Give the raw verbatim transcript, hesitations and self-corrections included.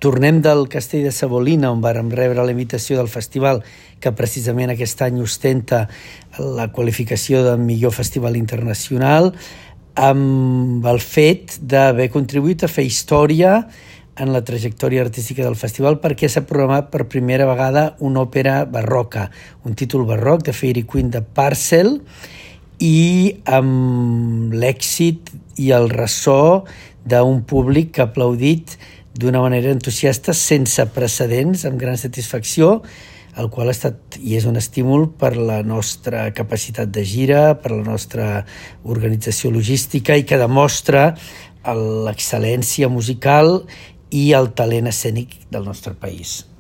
tornem del Castell de Sabolina, on vàrem rebre la invitació del festival, que precisament aquest any ostenta la qualificació de millor festival internacional, amb el fet d'haver contribuït a fer història en la trajectòria artística del festival, perquè s'ha programat per primera vegada una òpera barroca, un títol barroc de Fairy Queen de Purcell, i amb l'èxit i el ressò d'un públic que ha aplaudit d'una manera entusiasta, sense precedents, amb gran satisfacció, el qual ha estat i és un estímul per la nostra capacitat de gira, per la nostra organització logística, i que demostra l'excel·lència musical i el talent escènic del nostre país.